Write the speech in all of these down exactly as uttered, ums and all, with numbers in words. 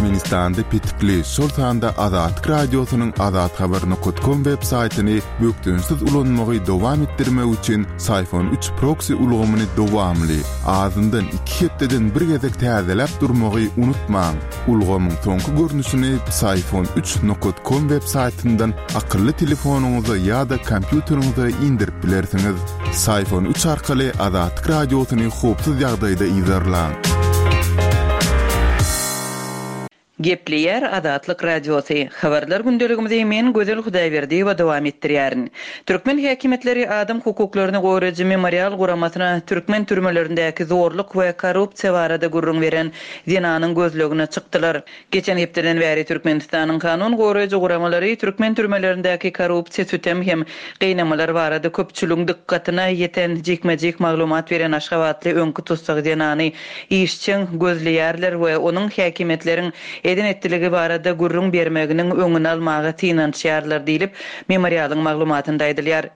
Türkmenistanda petikli, şol sanda Azatlyk Radiosynyň azathabar nokat kom web saýtyny bökdençsiz ulanmagy dowam etdirmek üçin Syfon üç proksi ulgamyny dowamly, azyndan iki hepdeden bir gezek täzeläp durmagy unutmaň. Ulgamyň soňky görnüşini Syfon üç nokat kom web saýtyndan akylly telefonyňyza ýa-da kompýuteriňize indirip bilersiňiz. Syfon üç arkaly Azatlyk Radiosyny howpsuz ýagdaýda yzarlaň. Gepleýär Azatlyk Radiosy. Habarlar gündeligimizi men Gözel Hudaýberdiýewa dowam etdirýärin. Türkmen häkimiýetleri adam hukuklaryny goraýjy Memorial guramasyna türkmen türmelerindäki zorluk we korrupsiýa barada gürrüň beren zenanyň gözlegine çykdylar. Geçen hepdeden bäri Türkmenistanyň kanun goraýjy guramalary türkmen türmelerindäki korrupsiýa, sütem hem gynamalar barada köpçüligiň dykgatyna ýeten jikme-jik maglumat beren aşgabatly öňki tussag zenany işjeň gözleýärler we onuň häkimiýetleriň eden etdiligi barada gürrüň bermeginiň öňüni almaga synanyşýarlar diýlip, Memorialyň maglumatynda aýdylýar.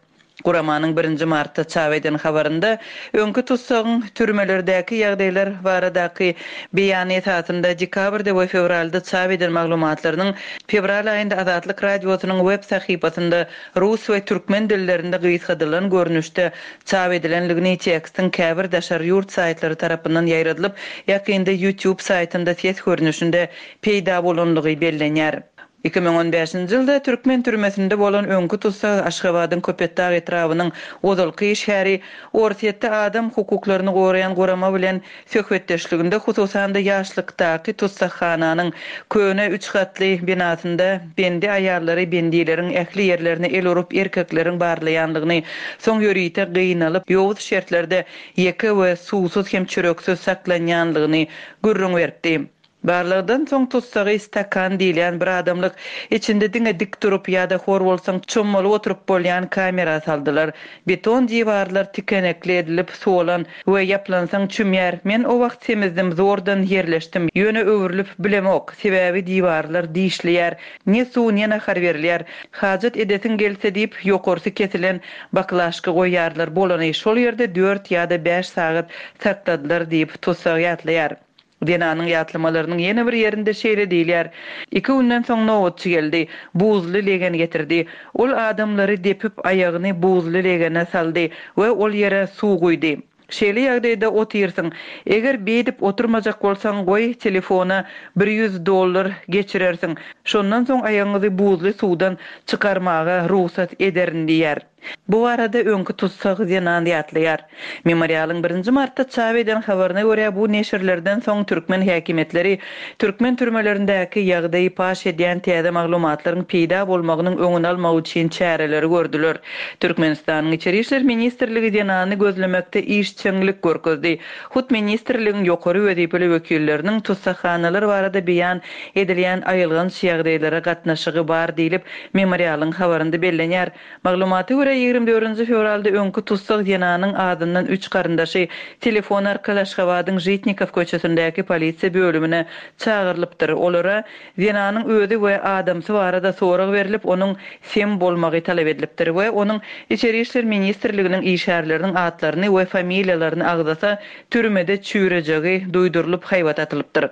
Guramanyň birinji martda çap eden habarynda öňki tussagyň türmelerdäki ýagdaýlar baradaky beýany esasynda dekabrda we fewralda çap eden maglumatlarynyň fewral aýynda Azatlyk Radiosynyň web sahypasynda rus we türkmen dillerinde gysgadylan görnüşde çap edilenligini tekstiň käbir daşary ýurt saýtlary tarapyndan ýaýradylyp, ýakynda YouTube saýtynda ses görnüşinde peýda bolanlygy bellenýär. Iki müň on bäşinji ýylda türkmen türmesinde bolan öňki tussag Aşgabadyň Köpetdag etrabynyň ozalky işgäri Orsýetde adam hukuklaryny goraýan gurama bilen söhbetdeşliginde hususan-da ýaşlykdaky tussaghananyň köne üç gatly binasynda bendi aýallary bendileriň ähli ýerlerine el urup erkekleriň barlaýanlygyny, soň ýörite gynalyp ýowuz şertlerde ýeke we suwsuz hem çöreksiz saklanýanlygyny gürrüň beripdi. Barlagdan soň tussagy stakan diýilýän bir adamlyk içinde diňe dik durup ýa-da hor bolsaň çommalyp oturyp bolýan kamera saldylar. Beton diwarlar tikenekli edilip suwalan we ýaplansaň çümýär. Men o wagt semizdim, zordan ýerleşdim. Ýöne öwrülip bilemok, sebäbi diwarlar dişleýär. Ne suw, ne nahar berilýär. Hajat edesiň gelse diýip ýokarsy kesilen baklaşka goýýarlar. Bolany şol ýerde dört ýa-da bäş sagat sakladylar diýip tussag ýatlaýar. Zenanyň ýatlamalarynyň ýene bir ýerinde şeýle diýilýär. Iki günden soň nobatçy geldi, buzly legen getirdi. Ol adamlary depip aýagyny buzly legene saldy we ol ýere suw guýdy. Şeýle ýagdaýda otyrsyň. Eger beýdip oturmajak bolsaň, goý telefona bir ýüz dollar geçirersiň. Şondan soň aýagyňyzy buzly suwdan çykarmaga rugsat ederin diýär. Bu barada öňki tussag zenan ýatlaýar. Memorialyň birinji martda çap eden habaryna görä bu neşirlerden soň türkmen häkimiýetleri türkmen türmelerindäki ýagdaýy paş edýän täze maglumatlaryň peýda bolmagynyň öňüni almak üçin çäreleri gördüler. Türkmenistanyň Içeri işler ministrligi zenany gözlemekde işjeňlik görkezdi. Hut ministrligiň ýokary wezipeli wekilleriniň tussaghanalar barada beýan edilýän aýylganç ýagdaýlara gatnaşygy bar diýlip Memorialyň habarynda bellenýär. Maglumata görä ýigrimi dördünji fewralda öňki tussag zenanyň adyndan üç garyndaşy telefon arkaly Aşgabadyň Žitnikow köçesindäki polisiýa bölümine çagyrylypdyr. Olara zenanyň özi we adamsy barada sorag berilip, onuň sem bolmagy talap edilipdir we onuň Içeri işler ministrliginiň işgärleriniň atlaryny we familiýalaryny agzasa türmede çüýrejegi duýdurylyp haýbat atylypdyr.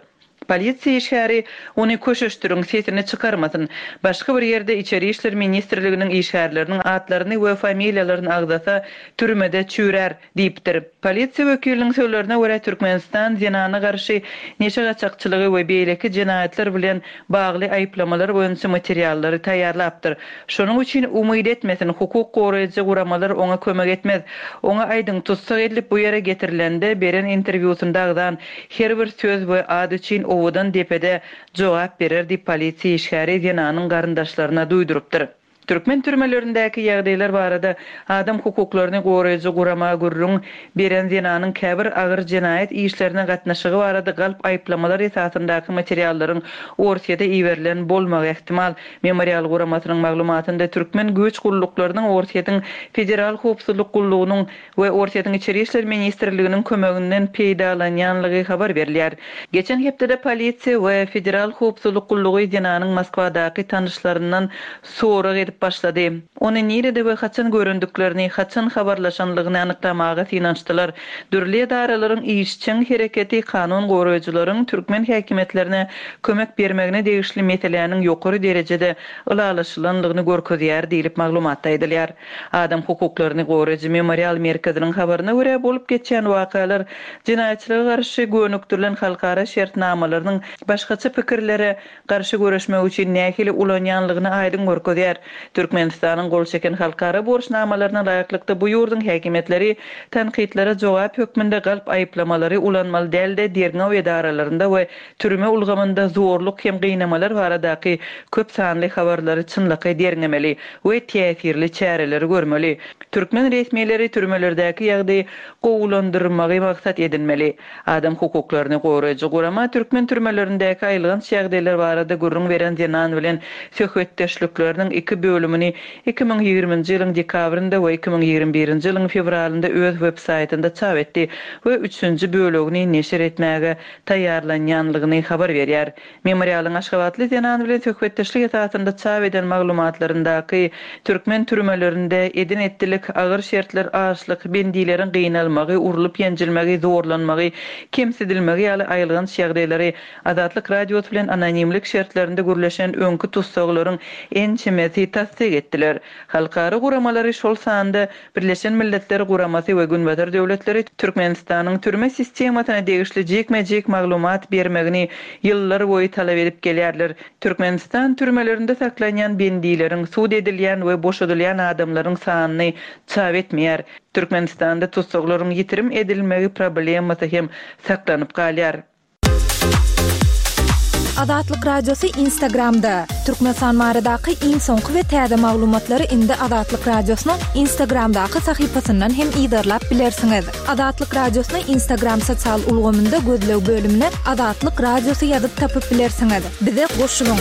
Polisiýa işgäri ony köşeşdiriň, sesini çykarmasyn. Başga bir ýerde Içeri işler ministrliginiň işgärleriniň atlaryny we familiýalaryny agzasa türmede çüýrär diýipdir. Polisiýa wekiliniň sözlerine görä Türkmenistan zenana garşy neşe gaçakçylygy we beýleki jenaýatlar bilen bagly aýyplamalar boýunça materiallary taýýarlapdyr. Şonuň üçin umyt etmesin, hukuk goraýjy guramalar oňa kömek etmez. Oňa aýdyň tussag edilip bu ýere getirilende beren interwýusynda agzan her bir söz we ad üçin owadan depede jogap berer diýip polisiýa işgäri zenanyň garyndaşlaryna duýdurypdyr. Türkmen türmelerindäki ýagdaýlar barada adam hukuklaryny goraýjy gurama gürrüň beren zenanyň käbir agyr jenaýat işlerine gatnaşygy barada galp aýyplamalar esasyndaky materiallaryň Orsýete iberilen bolmagy ähtimal. Memorial guramasynyň maglumatynda türkmen güýç gulluklarynyň Orsýetiň Federal howpsuzlyk gullugynyň we Orsýetiň Içeri işler ministrliginiň kömeginden peýdalanýanlygy habar berilýär. Geçen hepdede polisiýa we Federal howpsuzlyk gullugy zenanyň Moskwadaky tanyşlaryndan sorag edip edip başlady. Ony nirede we haçan görendiklerini, haçan habarlaşanlygyny anyklamaga synanyşdylar. Dürli edaralaryň işjeň hereketi kanun goraýjylaryň türkmen häkimiýetlerine kömek bermegine degişli meseläniň ýokary derejede ylalaşylanlygyny görkezýär diýlip maglumatda aýdylýar. Adam hukuklaryny goraýjy Memorial merkeziniň habaryna görä, bolup geçýän wakalar jenaýatçylyga garşy gönükdirilen halkara şertnamalarynyň başgaça pikirlere garşy göreşmek üçin nähili ulanýanlygyny aýdyň görkezýär. Türkmenistanyň gol çeken halkara borçnamalaryna laýyklykda bu ýurduň häkimiýetleri tankytlara jogap hökmünde galp aýyplamalary ulanmaly däl-de, derňew edaralarynda we türme ulgamynda zorluk hem gynamalar baradaky köp sanly habarlary çynlakaý derňemeli we täsirli çäreleri görmeli. Türkmen resmileri türmelerdäki ýagdaýy gowulandyrmagy maksat edinmeli. Adam hukuklaryny goraýjy gurama türkmen türmelerindäki aýylganç ýagdaýlar barada gürrüň beren zenan bilen söhbetdeşlikleriniň iki bölümini iki müň ýigriminji ýylyň dekabrynda we iki müň ýigrimi birinji ýylyň fewralynda öz web-saýtynda çap etdi we üçünji bölegini neşir etmäge taýýarlanýanlygyny habar berýär. Memorialyň aşgabatly zenan bilen söhbetdeşlik esasynda çap eden maglumatlaryndaky türkmen türmelerinde eden-etdilik, agyr şertler, açlyk, bendileriň gynalmagy, urlup-ýenjilmegi, zorlanmagy, kemsidilmegi ýaly aýylganç ýagdaýlary Azatlyk Radiosy bilen anonimlik şertlerinde gürleşen öňki tussaglaryň ençemesi tassyk etdiler. Halkara guramalary, şol sanda Birleşen Milletler Guramasy we Günbatar döwletleri Türkmenistanyň türme sistemasyna degişli jikme-jik maglumat bermegini ýyllar boýy talap edip gelýärler. Türkmenistan türmelerinde saklanýan bendileriň, sud edilýän we boşadylýan adamlaryň sanyny çap etmeýär. Türkmenistanda tussaglaryň ýitirim edilmegi problemasy hem saklanyp galýar. Azatlyk Radiosy Instagramda. Türkmenistan baradaky iň soňky we täze maglumatlary indi Azatlyk Radiosynyň Instagramdaky sahypasyndan hem yzarlap bilersiňiz. Azatlyk Radiosyny Instagram sosial ulgamynda gözleg bölümine Azatlyk Radiosy ýazyp tapyp bilersiňiz. Bize goşulyň.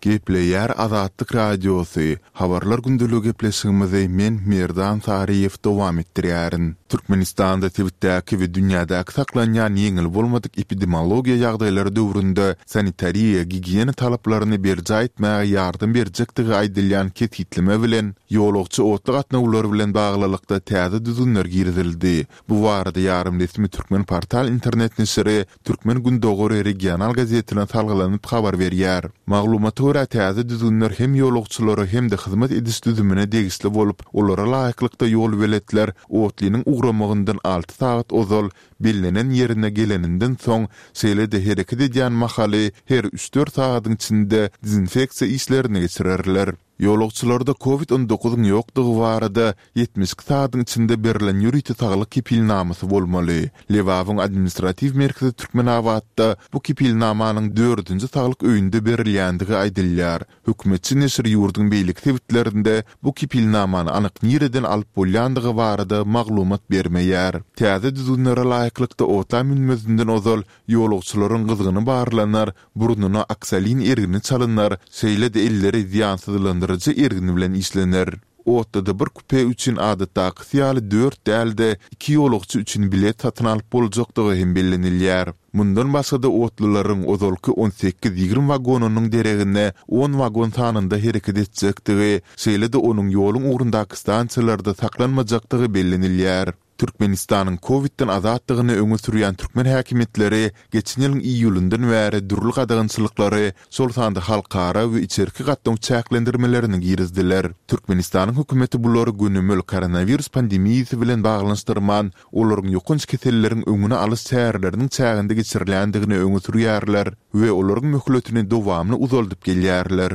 Gepleýär Azatlyk Radiosy, Habarlar gündeligi gepleşigimizi men Merdan Saryýew dowam etdirýärin. Türkmenistanda sebitdäki we dünýädäki saklanýan ýeňil bolmadyk epidemiologiýa ýagdaýlary döwründe sanitariýa-gigiýena talaplaryny berjaý etmäge ýardam berjekdigi aýdylýan kesgitleme bilen ýolagçy otly gatnawlary bilen baglylykda täze düzgünler girizildi. Bu barada ýarym resmi Türkmenportal internet neşiri Türkmen Gündogary regional gazetine salgylanyp habar berýär. Maglumata görä, täze düzgünler hem ýolagçylara hem-de hyzmat ediş düzümine degişli bolup, olara laýyklykda ýolbeletler otlynyň ugramagyndan alty sagat ozal, bellenen ýerine geleninden soň, şeýle-de hereket edýän mahaly her üç-dört sagadyň içinde dezinfeksiýa işlerini geçirerler. Ýolagçylarda Covid on dokuzyň ýokdugy barada ýetmiş iki sagadyň içinde berlen ýörite saglyk kepilnamasy bolmaly. Lebabyň administratiw merkezi Türkmenabatda bu kepilnamanyň dördünji saglyk öýünde berilýändigi aýdylýar. Hökümetçi neşir ýurduň beýleki sebitlerinde bu kepilnamany anyk nireden alyp bolýandygy barada maglumat bermeýär. Täze düzgünlere laýyklykda otla münmezinden ozal ýolagçylaryň gyzgyny barlanar, burnuna oksalin ergini çalynar, şeýle-de elleri zyýansyzlandyryjy ergin bilen işlener. Otluda bir kupe üçin adatdakysy ýaly dört däl-de iki ýolagçy üçin bilet satyn alyp boljakdygy hem bellenilýär. Mundan başga-da otlularyň ozalky on sekiz-ýigrimi wagonynyň deregine on wagon sanynda hereket etjekdigi, şeýle-de onuň ýoluň ugrundaky stansiýalarda saklanmajakdygy bellenilýär. Türkmenistanyň Covidden azatdygyny öňe sürýän türkmen häkimiýetleri geçen ýylyň iýulyndan bäri dürli gadagançylyklary, şol sanda halkara we içerki gatnaw çäklendirmelerini girizdiler. Türkmenistanyň hökümeti bulary gönümel koronawirus pandemiýasy bilen baglanyşdyrman, olaryň ýokanç keselleriň öňüni alyş çäreleriniň çäginde geçirilýändigini öňe sürýärler we olaryň möhletini dowamly uzaldyp gelýärler.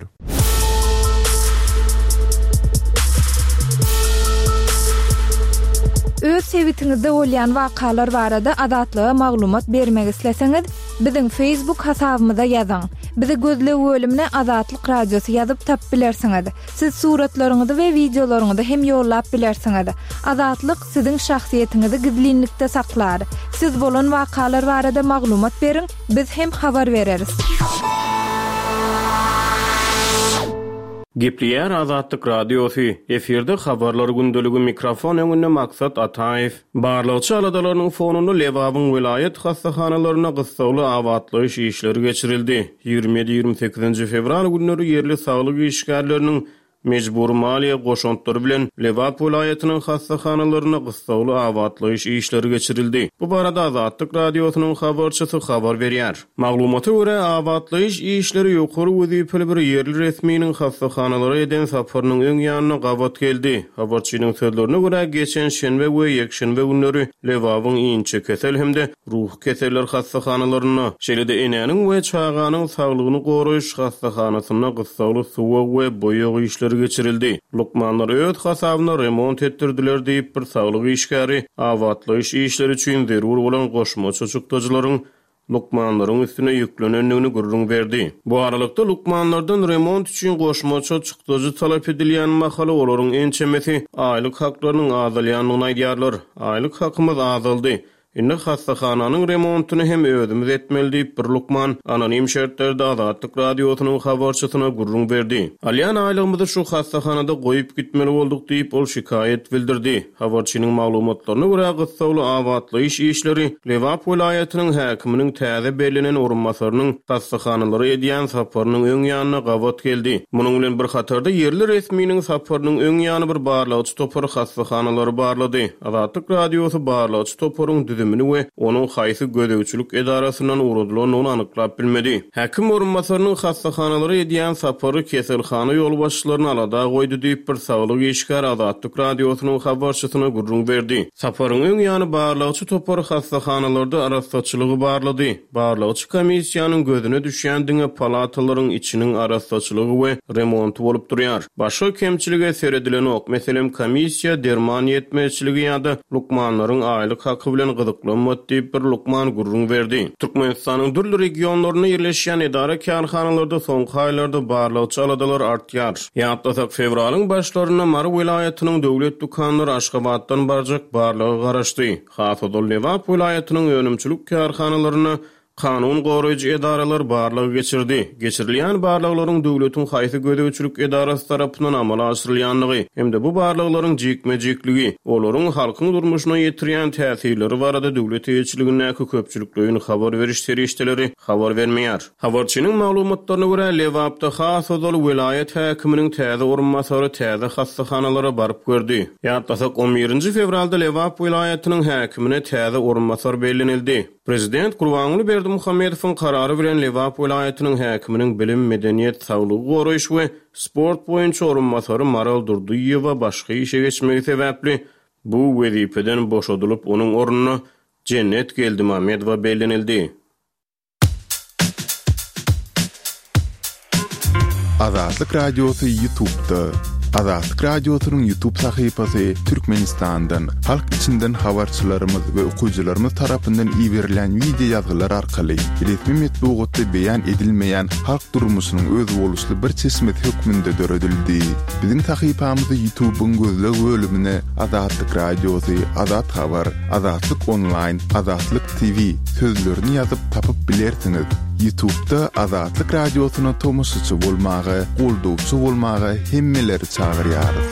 Öz sebitiňizde bolýan wakalar barada Azatlyga maglumat bermek isleseňiz, biziň Facebook hasabymyza ýazyň. Bizi gözleg bölümine Azatlyk Radiosy ýazyp tap bilersiňiz. Siz suratlaryňyzy we wideolaryňyzy hem ýollap bilersiňiz. Azatlyk siziň şahsyýetiňizi gizlinlikde saklar. Siz bolan wakalar barada maglumat beriň, biz hem habar bereris. Gepleýär Azatlyk Radiosy, efirde Habarlar gündeligi, mikrofon öňünde Maksat Ataýew. Barlagçy aladalarynyň fonunda Lebabyň welaýat hassahanalarynda gyssagly abatlaýyş işleri geçirildi. Ýigrimi ýedi-ýigrimi sekizinji fewral günleri ýerli saglyk işgärleriniň mejbury maliýe goşantlary bilen Lebap welaýatynyň hassahanalarynda gyssagly abatlaýyş işleri geçirildi. Bu barada Azatlyk Radiosynyň habarçysy habar berýär. Maglumata görä, abatlaýyş işleri ýokary wezipeli bir ýerli resminiň hassahanalara eden saparynyň öň ýanyna gabat geldi. Habarçynyň sözlerine görä, geçen şenbe we ýekşenbe günleri Lebabyň inçekesel hem-de ruhy keseller hassahanalarynda, şeýle-de enäniň we çaganyň saglygyny goraýyş hassahanasynda gyssagly suwag we boýag işleri geçirildi. Lukmanlar öz hasabyna remont etdirdiler diýip, bir saglyk işgäri abatlaýyş işleri üçin zerur bolan goşmaça çykdajylaryň lukmanlaryň üstüne ýüklenendigini gürrüň berdi. Bu aralykda, lukmanlardan remont üçin goşmaça çykdajy talap edilýän mahaly olaryň ençemesi aýlyk haklarynyň azalýandygyny aýdýarlar. Aýlyk hakymyz azaldy. Indi hassahananyň remontyny hem özümiz etmeli diýip, bir lukman anonim şertlerde Azatlyk Radiosynyň habarçysyna gürrüň berdi. Alýan aýlygymyzy şu hassahanada goýup gitmeli bolduk diýip, ol şikaýat bildirdi. Habarçynyň maglumatlaryna görä, gyssagly abatlaýyş işleri Lebap welaýatynyň häkiminiň täze bellenen orunbasarynyň hassahanalara edýän saparynyň öň ýanyna gabat geldi. Munuň bilen bir hatarda, ýerli resminiň saparynyň öň ýany bir barlagçy topar hassahanalary barlady. Azatlyk Radiosy barlagçy toparyň düzümini we onuň haýsy gözegçilik edarasyndan ugradylandygyny anyklap bilmedi. Häkim orunbasarynyň hassahanalara edýän sapary keselhana ýolbaşçylaryny alada goýdy diýip, bir saglyk işgäri Azatlyk Radiosynyň habarçysyna gürrüň berdi. Saparyň öň ýany barlagçy topar hassahanalarda arassaçylygy barlady. Barlagçy komissiýanyň gözüne düşýän diňe palatalaryň içiniň arassaçylygy we remonty bolup durýar. Başga kemçilige seredilenok. Meselem, komissiýa derman ýetmezçiligi ýa-da lukmanlaryň aýlyk haky bilen gyzyklanmady diýip, bir lukman gürrüň berdi. Türkmenistanyň dürli regionlarynda ýerleşýän edara-kärhanalarda soňky aýlarda barlagçy aladalar artýar. Ýatlasak, fewralyň başlarynda Mary welaýatynyň döwlet dükanlary Aşgabatdan barjak barlaga garaşdy. Has ozal Lebap welaýatynyň önümçilik kärhanalarynda kanun goraýjy edaralar barlag geçirdi. Geçirilýän barlaglaryň döwletiň haýsy gözegçilik edarasy tarapyndan amala aşyrylýandygy hem-de bu barlaglaryň jikme-jikligi, olaryň halkyň durmuşyna ýetirýän täsirleri barada döwlet eýeçiligindäki köpçülikleýin habar beriş serişdeleri habar bermeýär. Habarçynyň maglumatlaryna görä, Lebapda has ozal welaýat häkiminiň täze orunbasary täze hassahanalara baryp gördi. Ýatlasak, on birinji fewralda Lebap welaýatynyň häkimine täze orunbasar bellenildi. Prezident Gurbanguly Berdimuhamedowyň karary bilen Lebap welaýatynyň häkiminiň bilim, medeniýet, saglygy goraýyş we sport boýunça orunbasary Maral Durdyýewa başga işe geçmegi sebäpli bu wezipeden boşadylyp, onuň ornuna Jennet Geldimamedowa bellenildi. Azatlyk Radiosy YouTube'da. Azatlyk Radiosynyň YouTube sahypasy Türkmenistandan, halk içinden habarçylarymyz we okyjylarymyz tarapyndan iberilen wideo ýazgylar arkaly resmi metbugatda beýan edilmeýän halk durmuşynyň özboluşly bir çeşmesi hökmünde döredildi. Biziň sahypamyzy YouTube'yň gözleg bölümine Azatlyk Radiosy, Azat Habar, Azatlyk Online, Azatlyk T V sözlerini ýazyp tapyp bilersiňiz. YouTube'da Azatlyk Radiosyna tomaşaçy bolmaga, goldawçy bolmaga hemmeleri çagyrýarys.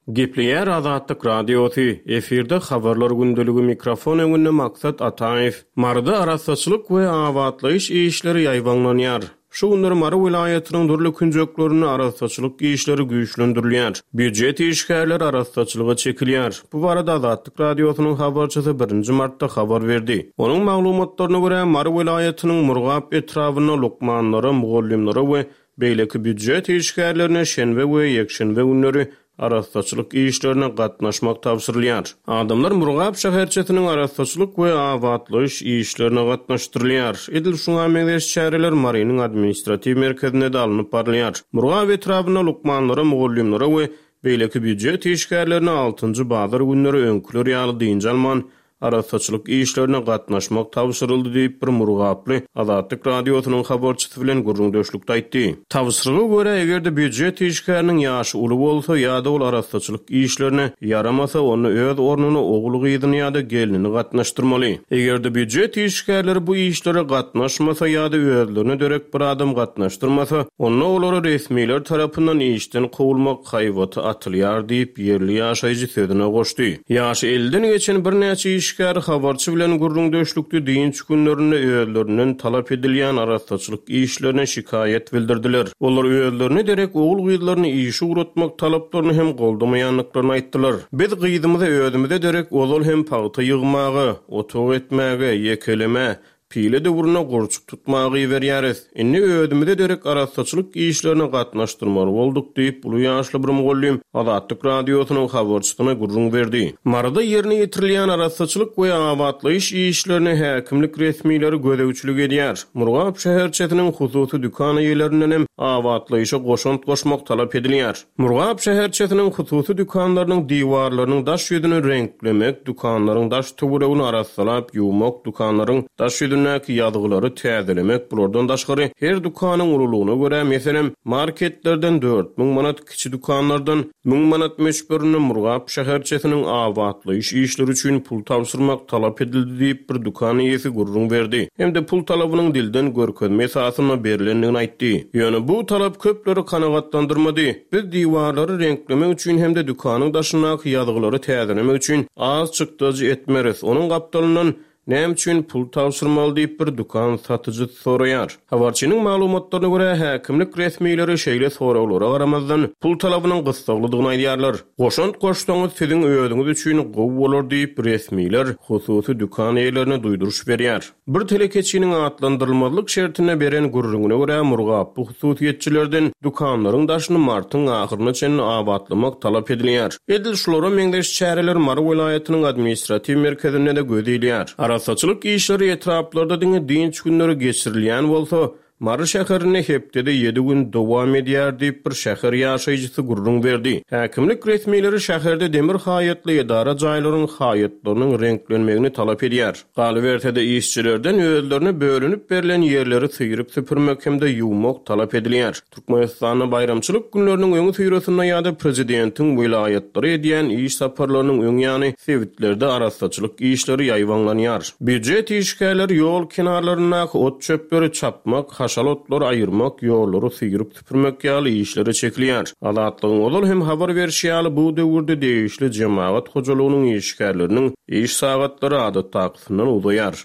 Gepleýär Azatlyk Radiosy, efirde habarlar gündeligi, mikrofon öňünde Maksat Ataýew. Maryda arassaçylyk we abatlaýyş işleri ýaýbaňlanýar. Şu günler Mary welaýatynyň dürli künjeklerinde arassaçylyk işleri güýçlendirilýär. Býujet işgärleri arassaçylyga çekilýär. Bu barada Azatlyk Radiosynyň habarçysy birinji martda habar berdi. Onuň maglumatlaryna görä, Mary welaýatynyň Murgap etrabynda lukmanlara, mugallymlara we beýleki býujet işgärlerine şenbe we ýekşenbe günleri arassaçylyk işlerine gatnaşmak tabşyrylýar. Adamlar Murgap şäherçesiniň arassaçylyk we abatlaýyş işlerine gatnaşdyrylýar. Edil şuňa meňzeş çäreler Marynyň administratiw merkezinde de alnyp barylýar. Murgap etrabynda lukmanlara, mugallymlara we beýleki býujet işgärlerine altynjy bazar günleri öňküler ýaly dynç alman arassaçylyk işlerine gatnaşmak tabşyryldy diýip, bir murgaply Azatlyk Radiosynyň habarçysy bilen gürrüňdeşlikde aýtdy. Tabşyryga görä, eger-de býujet işgäriniň ýaşy uly bolsa ýa-da ol arassaçylyk işlerine ýaramasa, onda öz ornuna ogul-gyzyny ýa-da gelnini gatnaşdyrmaly. Eger-de býujet işgärleri bu işlere gatnaşmasa ýa-da özlerine derek bir adam gatnaşdyrmasa, onda olara resmiler tarapyndan işden kowulmak haýbaty atylýar diýip, ýerli ýaşaýjy sözüne goşdy. Ýaşy elliden geçen birnäçe işgär habarçy bilen gürrüňdeşlikde dynç günlerinde özlerinden talap edilýän arassaçylyk işlerine şikaýat bildirdiler. Olar özlerine derek ogul-gyzlaryny işe ugratmak talaplaryny hem goldamaýandyklaryny aýtdylar. Biz gyzymyzy özümize derek ozal hem pagta ýygmaga, otag etmäge, ýekelemä, pile döwründe gurçuk tutmaga iberýäris. Indi özümize derek arassaçylyk işlerine gatnaşdyrmaly bolduk diýip, uly ýaşly bir mugallym Azatlyk Radiosynyň habarçysyna gürrüň berdi. Maryda ýerine ýetirilýän arassaçylyk we abatlaýyş işlerine häkimlik resmileri gözegçilik edýär. Murgap şäherçesiniň hususy dükan eýelerinden hem abatlaýyşa goşant goşmak talap edilýär. Murgap şäherçesiniň hususy dükanlarynyň diwarlarynyň daş ýüzüni reňklemek, dükanlaryň daş töweregini arassalap ýuwmak, dükanlaryň daş ýüzündäki ýazgylary täzelemek, bulardan daşgary her dükanyň ululygyna görä, meselem, marketlerden dört müň manat, kiçi dükanlardan müň manat möçberinde Murgap şäherçesiniň abatlaýyş işleri üçin pul tabşyrmak talap edildi diýip, bir dükan eýesi gürrüň berdi. Hem-de pul talabynyň dilden görkezme esasynda berlendigini aýtdy. Ýöne bu talap köpleri kanagatlandyrmady. Biz diwarlary reňklemek üçin hem-de dükanyň daşyndaky ýazgylary täzelemek üçin az çykdajy etmeris. Onuň gapdalyndan näme üçin pul tabşyrmaly diýip bir dükan satyjysy soraýar. Habarçynyň maglumatlaryna görä, häkimlik resmileri şeýle soraglara garamazdan pul talabynyň gyssaglydygyny aýdýarlar. Goşant goşsaňyz siziň özüňiz üçin gowy bolar diýip resmiler hususy dükan eýelerine duýduryş berýär. Bir telekeçiniň atlandyrylmazlyk şertinde beren gürrüňine görä, Murgaply hususyýetçilerden dükanlaryň daşyny martyň ahyryna çenli abatlamak talap edilýär. Edil şulara meňzeş çäreler Mary welaýatynyň administratiw merkezinde-de göz ilýär. Arassaçylyk işleri etraplarda diňe dynç günleri geçirilýän bolsa, Mary şäherinde hepdede ýedi gün dowam edýär diýip bir şäher ýaşaýjysy gürrüň berdi. Häkimlik resmileri şäherde demir haýatly edara jaýlaryň haýatlarynyň reňklenmegini talap edýär. Galyberse-de işçilerden özlerine bölünip berlen ýerleri syryp süpürmek hem-de ýuwmak talap edilýär. Türkmenistanda baýramçylyk günleriniň öňi syrasynda ýa-da prezidentiň welaýatlary edýän iş saparlarynyň öň ýany sebitlerde arassaçylyk işleri ýaýbaňlanýar. Býujet işgärleri ýol kenarlaryndaky ot çöpleri çapmak, haşal otlary aýyrmak, ýollary syryp süpürmek ýaly işlere çekilýär. Azatlygyň ozal hem habar berişi ýaly bu döwürde degişli jemagat hojalygynyň işgärleriniň iş sagatlary adatdakysyndan uzaýar.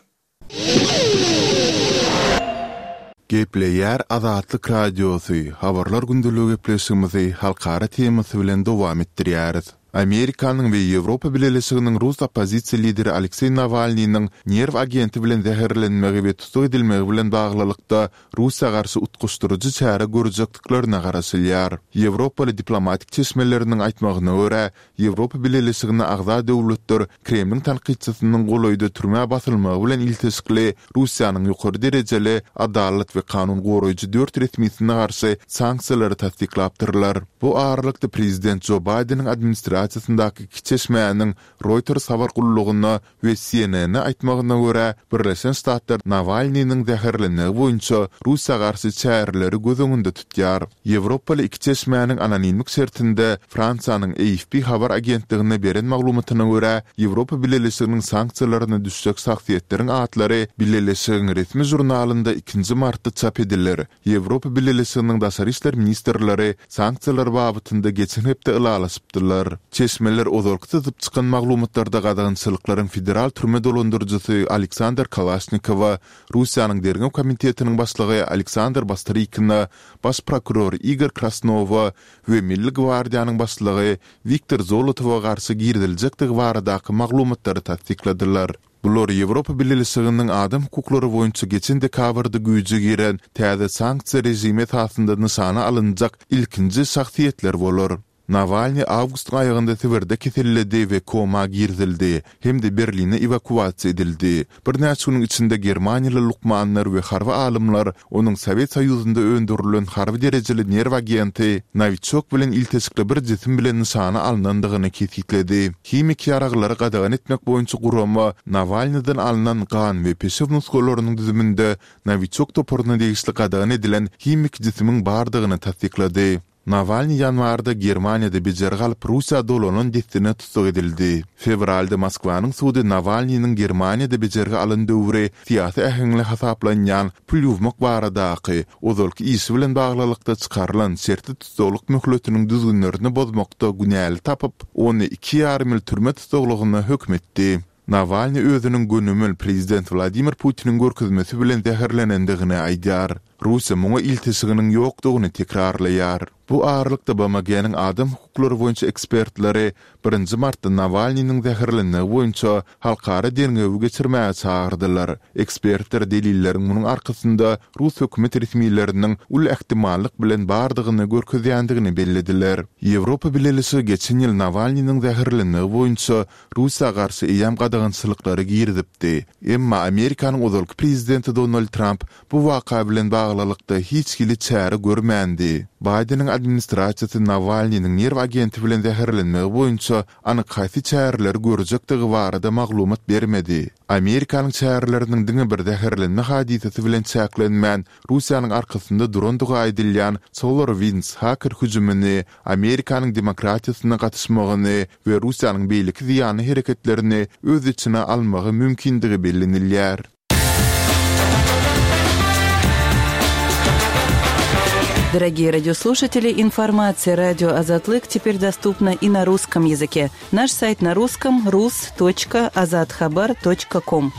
Gepleýär Azatlyk Radiosy, habarlar gündeligi gepleşigimizi halkara temasy bilen dowam etdirýäris. Amerikanyň we Ýewropa Bileleşiginiň rus oppozisiýa lideri Alekseý Nawalnynyň nerw agenti bilen zäherlenmegi we tussag edilmegi bilen baglylykda Russiýa garşy utgaşdyryjy çäre görjekdiklerine garaşylýar. Ýewropaly diplomatik çeşmeleriniň aýtmagyna görä, Ýewropa Bileleşigine agza döwletler Kremliň tankytçysynyň golaýda türmä basylmagy bilen ilteşikli Russiýanyň ýokary derejeli adalat we kanun goraýjy dört resmisine garşy sanksiýalary tassyklapdyrlar. Bu aralykda prezident Jo Baýdeniň administrasiýasyndaky iki çeşmäniň Reuters habar gullugyna we C N N-e aýtmagyna görä, Birleşen Ştatlar Nawalnynyň zäherlenmegi boýunça Russiýa garşy çäreleri göz öňünde tutýar. Ýewropaly iki çeşmäniň anonimlik şertinde Fransiýanyň A F P habar agentligine beren maglumatyna görä, Ýewropa Bileleşiginiň sanksiýalaryna düşjek şahsyýetleriň atlary Bileleşigiň resmi žurnalynda ikinji martda çap ediler. Ýewropa Bileleşiginiň daşary işler ministrleri sanksiýalar babatynda geçen hepde ylalaşypdylar. Çeşmeler ozalky syzyp çykan maglumatlarda gadagançylyklaryň federal türme dolandyryjysy Aleksandr Kalaşnikowa, Russiýanyň derňew komitetiniň başlygy Aleksandr Bastrykina, baş prokuror Igor Krasnowa we Milli gwardiýanyň başlygy Wiktor Zolotowa garşy giriziljekdigi baradaky maglumatlary tassykladylar. Bular Ýewropa Bileleşiginiň adam hukuklary boýunça geçen dekabrda güýje giren täze sanksiýa rejimi esasynda nyşana alynjak ilkinji şahsyýetler bolar. Nawalnyý awgustyň aýagynda Sibirde keselledi we koma girizildi hem-de Berline ewakuasiýa edildi. Birnäçe günüň içinde germaniýaly lukmanlar we harby alymlar onuň Sowet Soýuzynda öndürilen harby derejeli nerw agenti Nowiçok bilen ilteşikli bir jisim bilen nyşana alnandygyny kesgitledi. Himiki ýaraglary gadagan etmek boýunça gurama Nawalnydan alnan gan we peşew nusgalarynyň düzüminde Nowiçok toparyna degişli gadagan edilen himiki jisimiň bardygyny tassyklady. Nawalnyý ýanwarda Germaniýada bejergi alyp Russiýa dolanan dessine tussag edildi. Fewralda Moskwanyň sudy Nawalnynyň Germaniýada bejergi alan döwri syýasy äheňli hasaplanýan pul ýuwmak baradaky ozalky işi bilen baglylykda çykarylan şertli tussaglyk möhletiniň düzgünlerini bozmakda günäli tapyp, ony iki ýarym ýyl türme tussaglygyna höküm etdi. Nawalnyý özüniň gönümel prezident Wladimir Putiniň görkezmesi bilen zäherlenendigini aýdýar. Russiýa muňa ilteşiginiň ýokdugyny tekrarlaýar. Bu aralykda BMG-niň adam hukuklary boýunça ekspertleri birinji martda Nawalnynyň zäherlenmegi boýunça halkara derňewi geçirmäge çagyrdylar. Ekspertler delilleriň munuň arkasynda rus hökümet resmileriniň uly ähtimallyk bilen bardygyny görkezýändigini bellediler. Ýewropa Bileleşigi geçen ýyl Nawalnynyň zäherlenmegi boýunça Russiýa garşy eýýäm gadagançylyklary girizipdi. Emma Amerikanyň ozalky prezidenti Donald Tramp bu waka bilen baglylykda hiç hili çäre görmändi. Baýdeniň administrasiýasy Nawalnynyň nerw agenti bilen zäherlenmegi boýunça anyk haýsy çäreleri görjekdigi barada maglumat bermedi. Amerikanyň çäreleriniň diňe bir zäherlenme hadysasy bilen çäklenmän, Russiýanyň arkasynda durandygy aýdylýan SolarWinds haker hüjümini, Amerikanyň demokratiýasyna gatyşmagyny we Russiýanyň beýleki zyýanly hereketlerini öz içine almagy mümkindigi bellenilýär. Дорогие радиослушатели, информация радио Азатлык теперь доступна и на русском языке. Наш сайт на русском rus.azathabar.com.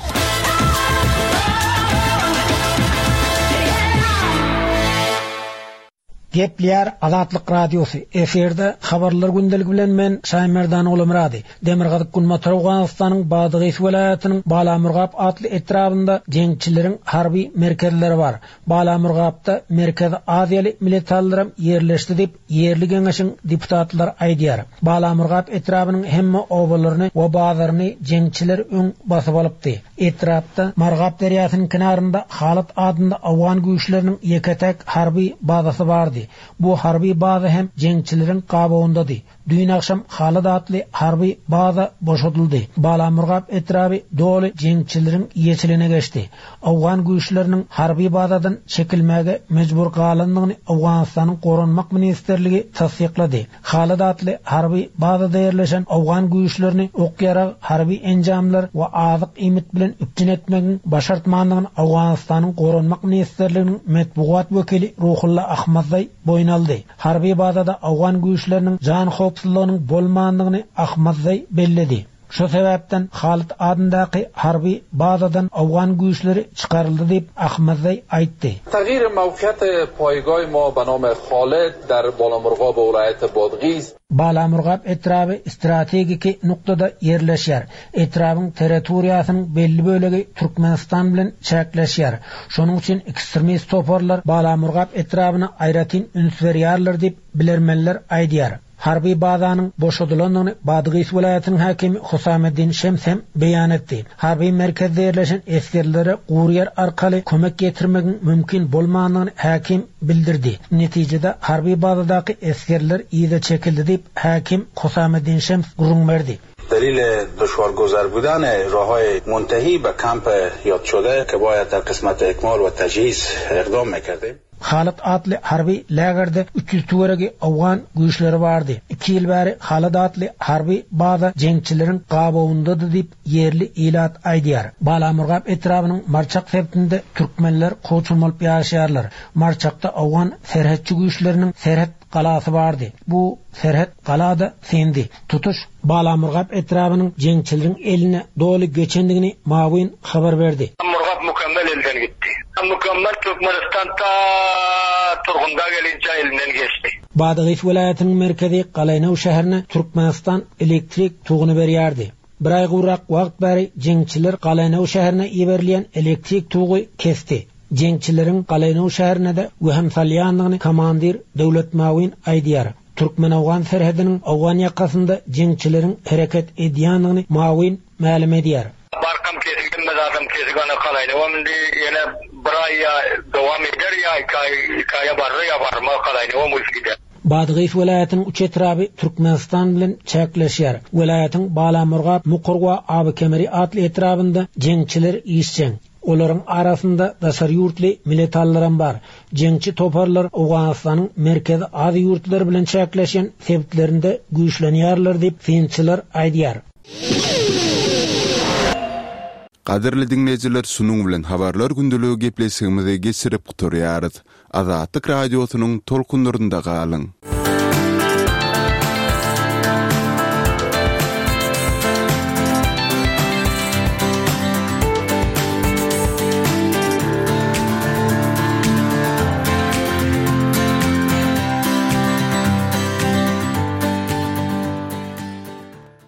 Gepleýär Azatlyk Radiosy. Efirde habarlar gündeligi bilen men Şaýmerdan Ogulmyrady. Demirgazyk Günbatar Owganystanyň Badygys welaýatynyň Balamurgap atly etrabynda jeňçileriň harby merkezleri bar. Balamurgapda Merkezi Aziýaly militarylaram ýerleşdi diýip ýerli geňeşiň deputatlary aýdýar. Balamurgap etrabynyň hemme obalaryny we bazaryny jeňçiler öň basyp alypdy. Etrapda Margap derýasynyň kenarynda Halat adynda Owgan güýçleriniň ýeke-täk harby bazasy bardy. Bu harby baza hem jeňçileriň gabawyndady. Düýn agşam Halat atly harby baza boşadyldy. Balamurgap etraby doly jeňçileriň eýeçiligine geçdi. Owgan güýçleriniň harby bazadan çekilmäge mejbur galandygyny Owganystanyň Goranmak ministrligi tassyklady. Halat atly harby bazada ýerleşen Owgan güýçlerini ok-ýarag, harby enjamlar we azyk iýmit bilen üpjün etmegiň başartmandygyny Owganystanyň Goranmak ministrliginiň metbugat wekili Ruhulla Ahmadzaý boýun aldy. Harby bazada Owgan güýçleriniň jan howpsuzlygynyň bolmandygyny Ahmadzaý belledi. Şu sebäpden Halit adyndaky harby bazadan Owgan güýçleri çykaryldy diýip Ahmadzaý aýtdy. تغییر موقعیت پایگاه ما به نام خالد در بالامرغاب ولایت بادغیس Balamurgap etraby strategiki nuktada ýerleşýär. Etrabyň territoriýasynyň belli bölegi Türkmenistan bilen çäkleşýär. Şonuň üçin ekstremist toparlar Balamurgap etrabyna aýratyn üns berýärler diýip bilermenler aýdýar. Harby bazanyň boşadylandygyny Badgys welaýatynyň häkimi Husameddin Şems hem beýan etdi. Harby merkezde ýerleşen esgerlere gury ýer arkaly kömek getirmegiň mümkin bolmandygyny häkim bildirdi. Netijede harby bazadaky esgerler yza çekildi diýip häkim Husameddin Şems gürrüň berdi. دلیل دشوارگذر بودن راه‌های منتهی به کمپ یاد شده که باید در قسمت اکمال و تجهیز اقدام میکردیم. Halat atly harby lägerde üç ýüz töweregi Owgan güýçleri bardy. Iki ýyl bäri Halat atly harby baza jeňçileriň gabawyndady diýip ýerli ilat aýdýar. Balamurgap etrabynyň Marçak sebitinde türkmenler kowçum bolup ýaşaýarlar. Marçakda Owgan serhetçi güýçleriniň serhet galasy bardy. Bu serhet galada sendi. Tutuş Balamurgap etrabynyň jeňçileriň eline doly geçendigini Mawin habar berdi. Murgap mükemmel elden gitti. Mükemmel Türkmenistan ta Turgunda gelince elinden geçti. Badagys welaýatynyň merkezi Galaýnaw şäherine Türkmenistan elektrik tuguny berýärdi. Bir aý gowrak wagt bäri jeňçiler Galaýnaw şäherine iberilýän elektrik tugy kesdi. Jeňçileriň Galaýnaw şäherine de wehim salýandygyny komandir Döwlet Mawin aýdýar. Türkmen-owgan serhediniň owgan ýakasynda jeňçileriň hereket edýändigini Mawin mälim edýär. Barkam kesik hemme zadam kesik ana kalaýnawam indi ýene bir aý ýa dowam eder ýa iki aý iki aýa barar ýa barmaz kalaýnawam uýsy gider. Badgys welaýatynyň üç etraby Türkmenistan bilen çäkleşýär. Welaýatyň Balamurgap, Mukur we Abykemeri atly etrabynda jeňçiler işjeň. Olaryň arasynda daşary ýurtly miletallaram bar. Jeňçi toparlar Owganystanyň Merkezi Aziýa ýurtlary bilen çäkleşýän sebitlerinde güýçlenýärler diýip, synçylar aýdýar. Gadyrly diňleýjiler, şunuň bilen Habarlar gündeligi gepleşigimizi geçirip gutarýarys. Azatlyk Radiosynyň tolkunlarynda galyň!